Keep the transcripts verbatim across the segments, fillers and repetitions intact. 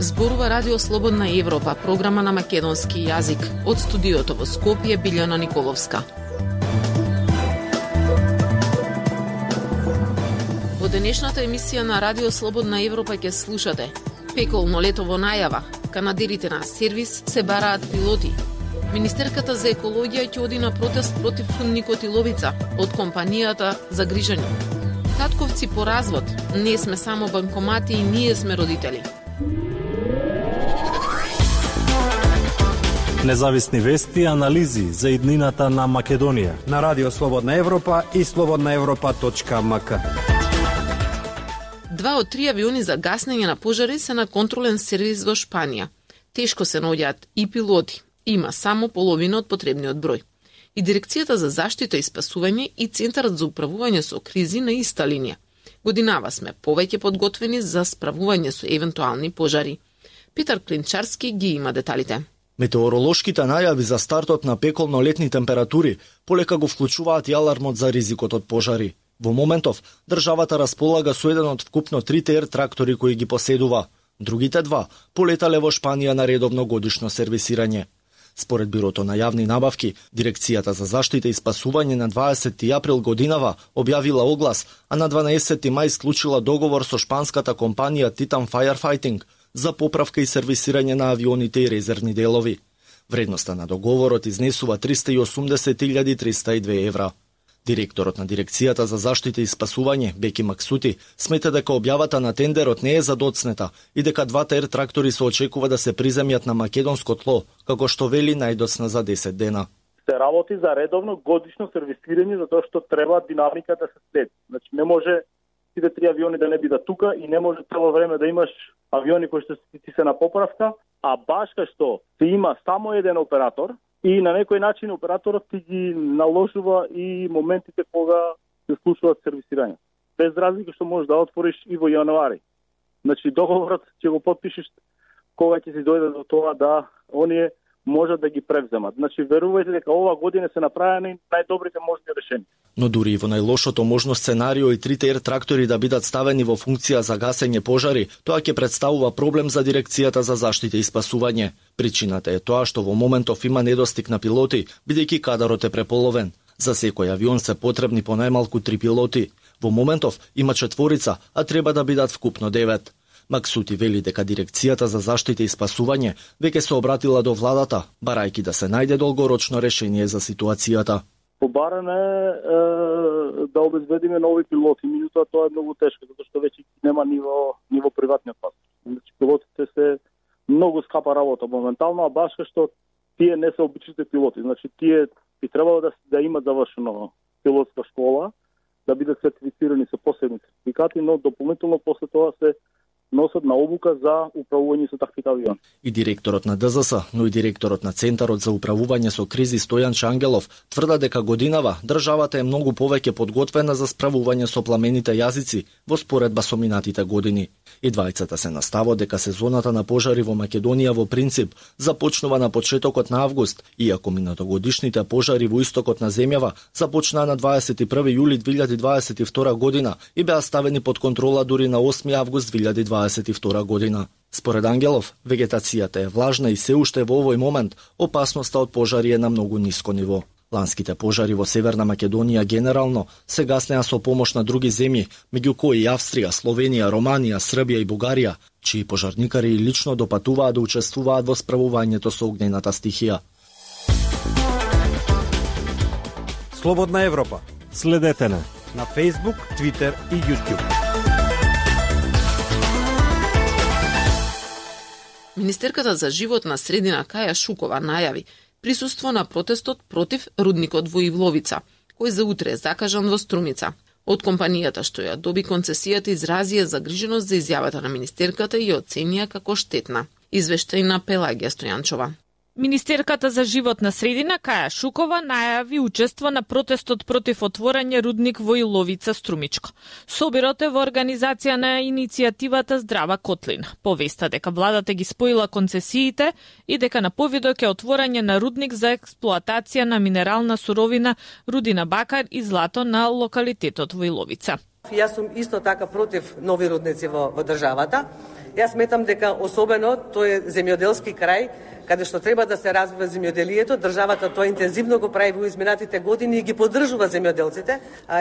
Зборува Радио Слободна Европа, програма на македонски јазик. Од студиото во Скопје, Билјана Николовска. Во денешната емисија на Радио Слободна Европа ќе слушате: пеколно лето во најава, канадерите на сервис се бараат пилоти. Министерката за екологија ќе оди на протест против рудникот Иловица од компанијата Загрижани. Татковци по развод, не сме само банкомати и ние сме родители. Независни вести и анализи за иднината на Македонија на Радио Слободна Европа и слободна европа точка ем ка. Два од три авиони за гаснење на пожари се на контролен сервис во Шпанија. Тешко се наоѓаат и пилоти. Има само половина од потребниот број. И Дирекцијата за заштита и спасување и Центарот за управување со кризи на иста линија. Годинава сме повеќе подготвени за справување со евентуални пожари. Петар Клинчарски ги има деталите. Метеоролошките најави за стартот на пеколно летни температури полека го вклучуваат и алармот за ризикот од пожари. Во моментов, државата располага со еден од вкупно трите ер трактори кои ги поседува. Другите два полетале во Шпанија на редовно годишно сервисирање. Според Бирото на јавни набавки, Дирекцијата за заштита и спасување на дваесети април годинава објавила оглас, а на дванаесети мај склучила договор со шпанската компанија Titan Firefighting за поправка и сервисирање на авионите и резервни делови. Вредноста на договорот изнесува триста и осумдесет илјади триста и две евра. Директорот на Дирекцијата за заштита и спасување, Беки Максути, смета дека објавата на тендерот не е задоцнета и дека двата ер трактори се очекува да се приземјат на македонско тло, како што вели најдоцна за десет дена. Се работи за редовно годишно сервисирање, затоа што треба динамика да се следи. Значи не може сите три авиони да не бидат тука и не може цело време да имаш авиони кои што ти се на поправка, а баш кај што ти има само еден оператор и на некој начин операторот ти ги наложува и моментите кога се случуваат сервисирање. Без разлика што можеш да отвориш и во јануари. Значи договорот ќе го потпишеш кога ќе се дојде до тоа да оние можат да ги превземат. Значи верувајте дека ова година се направени најдобрите можни решенија. Но дури и во најлошото можно сценарио и трите ер трактори да бидат ставени во функција за гасење пожари, тоа ќе представува проблем за Дирекцијата за заштита и спасување. Причината е тоа што во моментов има недостиг на пилоти, бидејќи кадарот е преполовен. За секој авион се потребни по најмалку три пилоти. Во моментов има четворица, а треба да бидат вкупно девет. Максути вели дека Дирекцијата за заштита и спасување веќе се обратила до владата, барајќи да се најде долгорочно решение за ситуацијата. Побарано е, е да обезбедиме нови пилоти, меѓутоа тоа е многу тешко, затоа што веќе нема ниво ниво приватниот пазар. Значи пилотите се многу скапа работа моментално, а баш што тие не се обичните пилоти. Значи тие би требало да да имаат завршено пилотска школа, да бидат сертифицирани со посебни сертификати, но дополнително после тоа се носат на обука за управување со таквите авиони. И директорот на Д З С, но и директорот на Центарот за управување со кризи Стојан Чангелов тврда дека годинава државата е многу повеќе подготвена за справување со пламените јазици во споредба со минатите години. И двајцата се наставо дека сезоната на пожари во Македонија во принцип започнува на почетокот на август, иако минатогодишните пожари во истокот на земјава започнаа на дваесет и први јули две илјади дваесет и втора година и беа ставени под контрола дури на осми август две илјади дваесет и втора година. Според Ангелов, вегетацијата е влажна и се уште во овој момент опасноста од пожари е на многу ниско ниво. Ланските пожари во Северна Македонија генерално се гаснеа со помош на други земји, меѓу кои Австрија, Словенија, Романија, Србија и Бугарија, чии пожарникари лично допатуваат да учествуваат во справувањето со огнената стихија. Слободна Европа. Следете на на Facebook, Twitter и YouTube. Министерката за животна средина Каја Шукова најави присуство на протестот против рудникот во Ивловица, кој за утре е закажан во Струмица. Од компанијата што ја доби концесијата изразија загриженост за изјавата на министерката и ја оценија како штетна. Извештај на Пелагија Стојанчова. Министерката за животна средина Каја Шукова најави учество на протестот против отворање рудник во Иловица Струмичко. Собирот е во организација на иницијативата Здрава Котлина. Повеста дека владата ги споила концесиите и дека на повидок е отворање на рудник за експлоатација на минерална суровина, рудина бакар и злато на локалитетот во Иловица. Јас сум исто така против нови рудници во, во државата Јас сметам дека особено тој е земјоделски крај, каде што треба да се развива земјоделието, државата тоа интензивно го прави во изминатите години и ги поддржува земјоделците.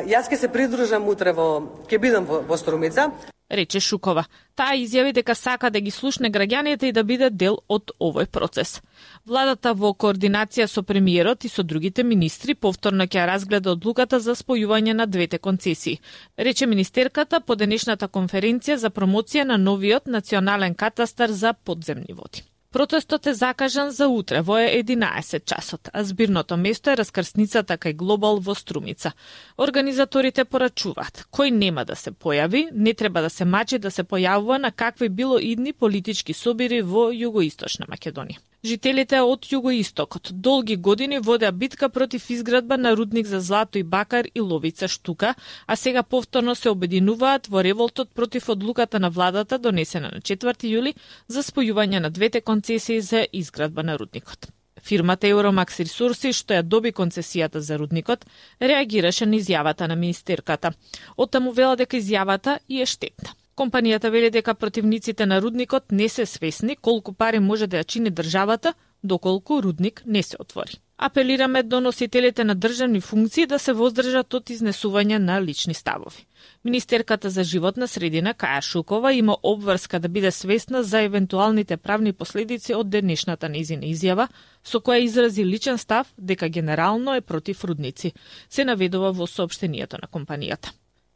Јас ќе се придружам утре во, ќе бидам во, во Струмица. Рече Шукова. Таа изјави дека сака да ги слушне граѓаните и да биде дел од овој процес. Владата во координација со премиерот и со другите министри повторно ќе разгледа одлуката за спојување на двете концесии, рече министерката по денешната конференција за промоција на новиот национален катастар за подземни води. Протестот е закажан за утре во единаесет часот, а збирното место е раскрсницата кај Глобал во Струмица. Организаторите порачуваат, кој нема да се појави, не треба да се мачи да се појавува на какви било идни политички собири во Југоисточна Македонија. Жителите од Југоистокот долги години водеа битка против изградба на рудник за злато и бакар и ловица штука, а сега повторно се обединуваат во револтот против одлуката на владата донесена на четврти јули за спојување на двете концесии за изградба на рудникот. Фирмата Euromax Resources, што ја доби концесијата за рудникот, реагираше на изјавата на министерката. Оттаму вела дека изјавата и е штетна. Компанијата вели дека противниците на рудникот не се свесни колку пари може да ја чини државата доколку рудник не се отвори. Апелираме до носителите на државни функции да се воздржат од изнесување на лични ставови. Министерката за животна средина Каја Шукова има обврска да биде свесна за евентуалните правни последици од денешната нејзина изјава, со која изрази личен став дека генерално е против рудници, се наведува во соопштението на компанијата.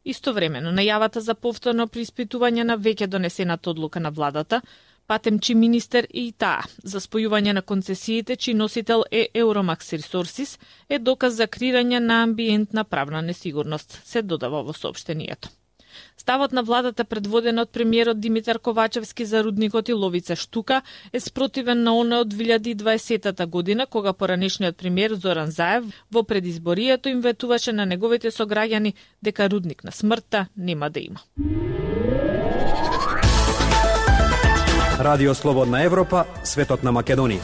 Истовремено, најавата за повторно преиспитување на веќе донесената одлука на владата, патемчи министер и таа за спојување на концесиите, чиј носител е Euromax Resources, е доказ за крирање на амбиентна правна несигурност, се додава во соопштението. Ставот на владата предводен од премиерот Димитар Ковачевски за рудникот и ловица штука е спротивен на оној од две илјади и дваесета година, кога поранешниот премиер Зоран Заев во предизборието им ветуваше на неговите сограѓани дека рудник на смртта нема да има. Радио Слободна Европа, светот на Македонија.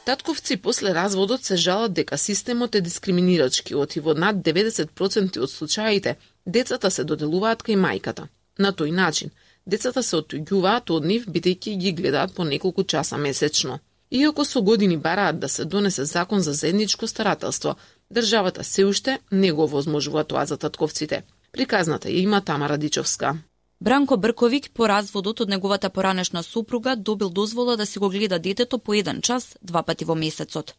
Татковци после разводот се жалат дека системот е дискриминирачки, оти во над деветдесет проценти од случаите децата се доделуваат кај мајката. На тој начин, децата се оттуѓуваат од нив бидејќи ги гледаат по неколку часа месечно. Иако со години бараат да се донесе закон за заедничко старателство, државата се уште не го возможува тоа за татковците. Приказната ја има Тамара Дичовска. Бранко Брковиќ по разводот од неговата поранешна супруга добил дозвола да си го гледа детето по еден час, два пати во месецот.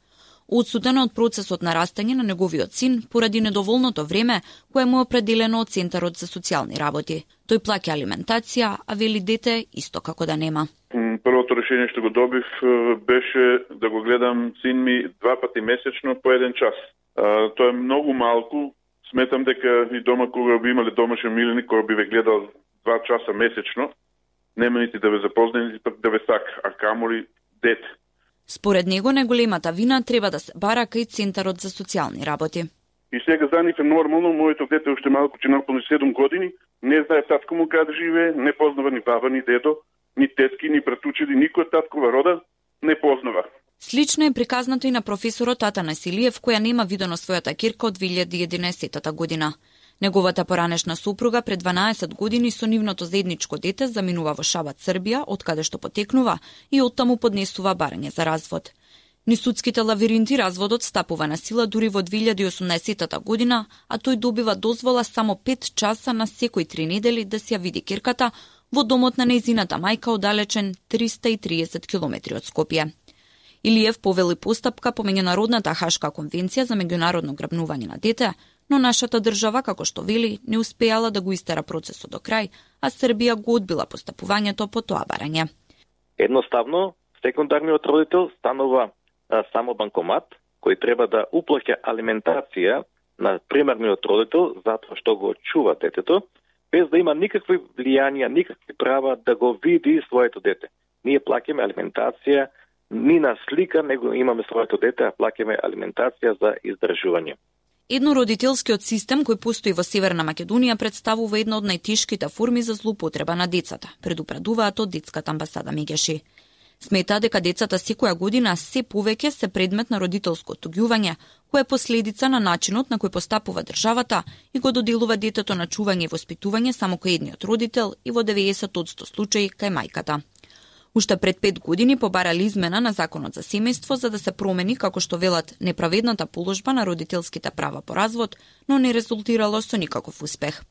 Одсуден од процесот на растање на неговиот син поради недоволното време кое му е определено од Центарот за социјални работи. Тој плаќа алиментација, а вели дете исто како да нема. Првото решение што го добив беше да го гледам син ми два пати месечно по еден час. Тоа е многу малку. Сметам дека и дома кога би имале домашен миленик, кога би ве гледал два часа месечно, нема нити да ве запознае, нити пак да ве сака, а камоли дете. Според него, најголемата вина треба да се бара кај Центарот за социјални работи. И сега за нив е нормално, моето дете уште малку че наполни седум години, не знае татко му каде живее, не познава ни баба, ни дедо, ни тетки, ни братучеди, никој таткова рода не познава. Слично е приказнато и на професорот Атанас Илиев, која нема видено својата ќерка од две илјади и единаесета година. Неговата поранешна супруга пред дванаесет години со нивното заедничко дете заминува во Шабат, Србија, од каде што потекнува, и оттаму поднесува барање за развод. Ни судските лавиринти разводот стапува на сила дури во две илјади и осумнаесета година, а тој добива дозвола само пет часа на секој три недели да си ја види ќерката во домот на нејзината мајка оддалечен триста и триесет километри од Скопје. Илиев повели постапка по меѓународната Хашка конвенција за меѓународно грабнување на дете, но нашата држава, како што вели, не успеала да го истера процесот до крај, а Србија го одбила постапувањето по тоа барање. Едноставно, секундарниот родител станува а, само банкомат, кој треба да уплаќа алиментација на примерниот родител затоа што го чува детето, без да има никакви влијанија, никакви права да го види своето дете. Ние плаќаме алиментација ни на слика, него имаме своето дете, а плаќаме алиментација за издржување. Еднородителскиот систем кој постои во Северна Македонија представува една од најтешките форми за злоупотреба на децата, предупредуваат од детската амбасада Мегеши. Смета дека децата секоја година се повеќе се предмет на родителско отуѓување, кое е последица на начинот на кој постапува државата и го доделува детето на чување и воспитување само кај едниот родител и во деветдесет од сто случаи кај мајката. Уште пред пет години побарали измена на Законот за семејство за да се промени, како што велат, неправедната положба на родителските права по развод, но не резултирало со никаков успех.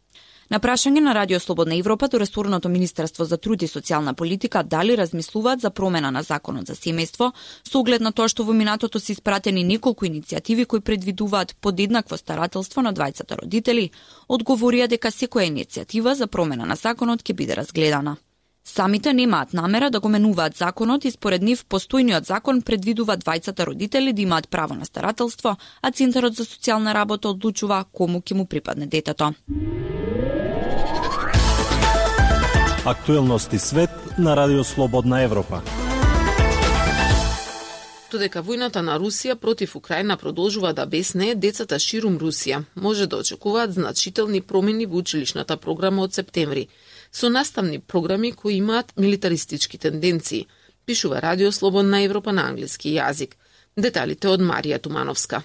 На прашање на Радио Слободна Европа до ресорното Министерство за труд и социјална политика дали размислуваат за промена на Законот за семејство, со оглед на тоа што во минатото се испратени неколку иницијативи кои предвидуваат подеднакво старателство на двајцата родители, одговорија дека секоја иницијатива за промена на законот ќе биде разгледана. Самите немаат намера да го менуваат законот и според нив постојниот закон предвидува двајцата родители да имаат право на старателство, а Центарот за социјална работа одлучува кому ќе му припадне детето. Актуелности свет на Радио Слободна Европа. Додека војната на Русија против Украина продолжува да бесне, децата ширум Русија може да очекуваат значителни промени во училишната програма од септември, со наставни програми кои имаат милитаристички тенденции, пишува Радио Слободна Европа на англиски јазик. Деталите од Марија Тумановска.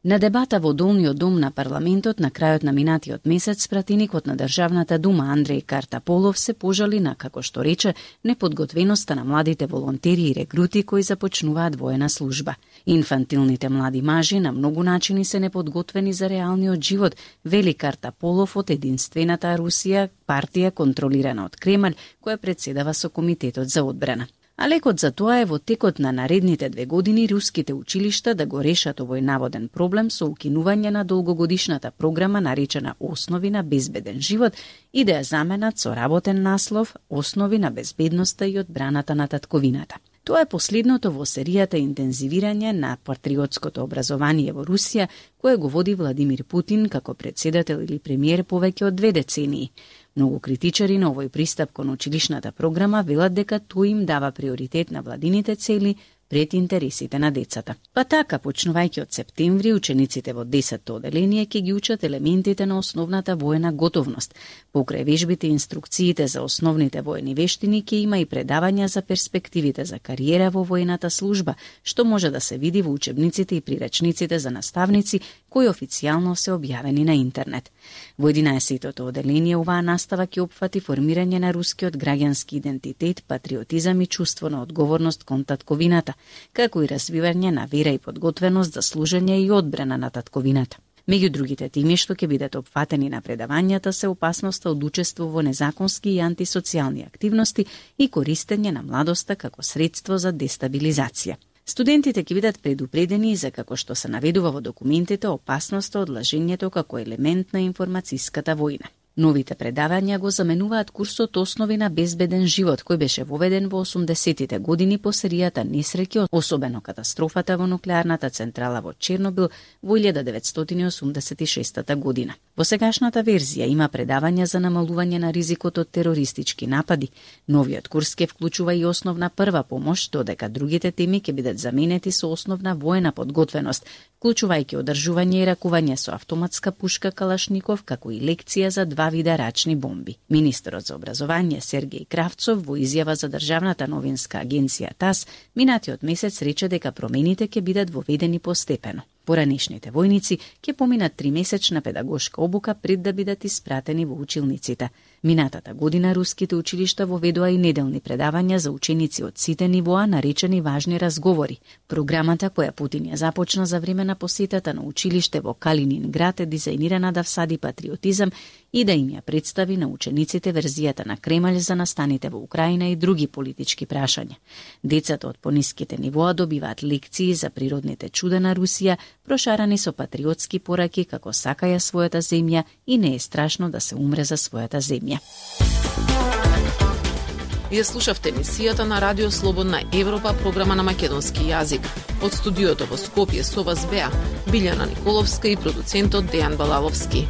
На дебата во Долниот дом на парламентот на крајот на минатиот месец, пратеникот на Државната дума Андреј Картаполов се пожали на, како што рече, неподготвеноста на младите волонтери и рекрути кои започнуваат воена служба. Инфантилните млади мажи на многу начини се неподготвени за реалниот живот, вели Картаполов од Единствената Русија, партија контролирана од Кремљ, која председава со Комитетот за одбрана. А лекот за тоа е во текот на наредните две години руските училишта да го решат овој наводен проблем со укинување на долгогодишната програма наречена Основи на безбеден живот и да ја заменат со работен наслов Основи на безбедноста и одбраната на татковината. Тоа е последното во серијата интензивирање на патриотското образование во Русија, кое го води Владимир Путин како председател или премиер повеќе од две децении. Многу критичари на овој пристап кон училишната програма велат дека тој им дава приоритет на владините цели пред интересите на децата. Па така, почнувајќи од септември, учениците во десетто оделение ќе ги учат елементите на основната воена готовност. Покрај вежбите и инструкциите за основните воени вештини ќе има и предавања за перспективите за кариера во воената служба, што може да се види во учебниците и прирачниците за наставници кои официјално се објавени на интернет. Во единаесеттото оделение оваа настава ќе опфати формирање на рускиот граѓански идентитет, патриотизам и чувство на одговорност кон татковината, како и развивање на вера и подготвеност за служење и одбрана на татковината. Меѓу другите теми што ќе бидат опфатени на предавањата се опасноста од учество во незаконски и антисоцијални активности и користење на младоста како средство за дестабилизација. Студентите ќе бидат предупредени за, како што се наведува во документите, опасноста од лажењето како елемент на информацијската војна. Новите предавања го заменуваат курсот Основи на безбеден живот, кој беше воведен во осумдесеттите години по серијата несреќи, особено катастрофата во нуклеарната централа во Чернобил во илјада деветстотини осумдесет и шеста година. Во сегашната верзија има предавања за намалување на ризикот од терористички напади. Новиот курс ќе вклучува и основна прва помош, додека другите теми ќе бидат заменети со основна воена подготвеност, вклучувајќи одржување и ракување со автоматска пушка Калашников, како и лекција за два вида рачни бомби. Министерот за образование Сергеј Кравцов во изјава за државната новинска агенција ТАС минатиот месец рече дека промените ќе бидат воведени постепено. Поранешните војници ќе поминат тримесечна педагошка обука пред да бидат испратени во училниците. Минатата година руските училишта воведоа и неделни предавања за ученици од сите нивоа наречени важни разговори. Програмата која Путин ја започна за време на посетата на училиште во Калининград е дизајнирана да всади патриотизам и да им ја представи на учениците верзијата на Кремљ за настаните во Украина и други политички прашања. Децата од пониските нивоа добиваат лекции за природните чуда на Русија, прошарани со патриотски пораки како сакаја својата земја и не е страшно да се умре за својата земја. Ја слушавте емисијата на Радио Слободна Европа, програма на македонски јазик. Од студиото во Скопје со вас беа Билјана Николовска и продуцентот Дејан Балаловски.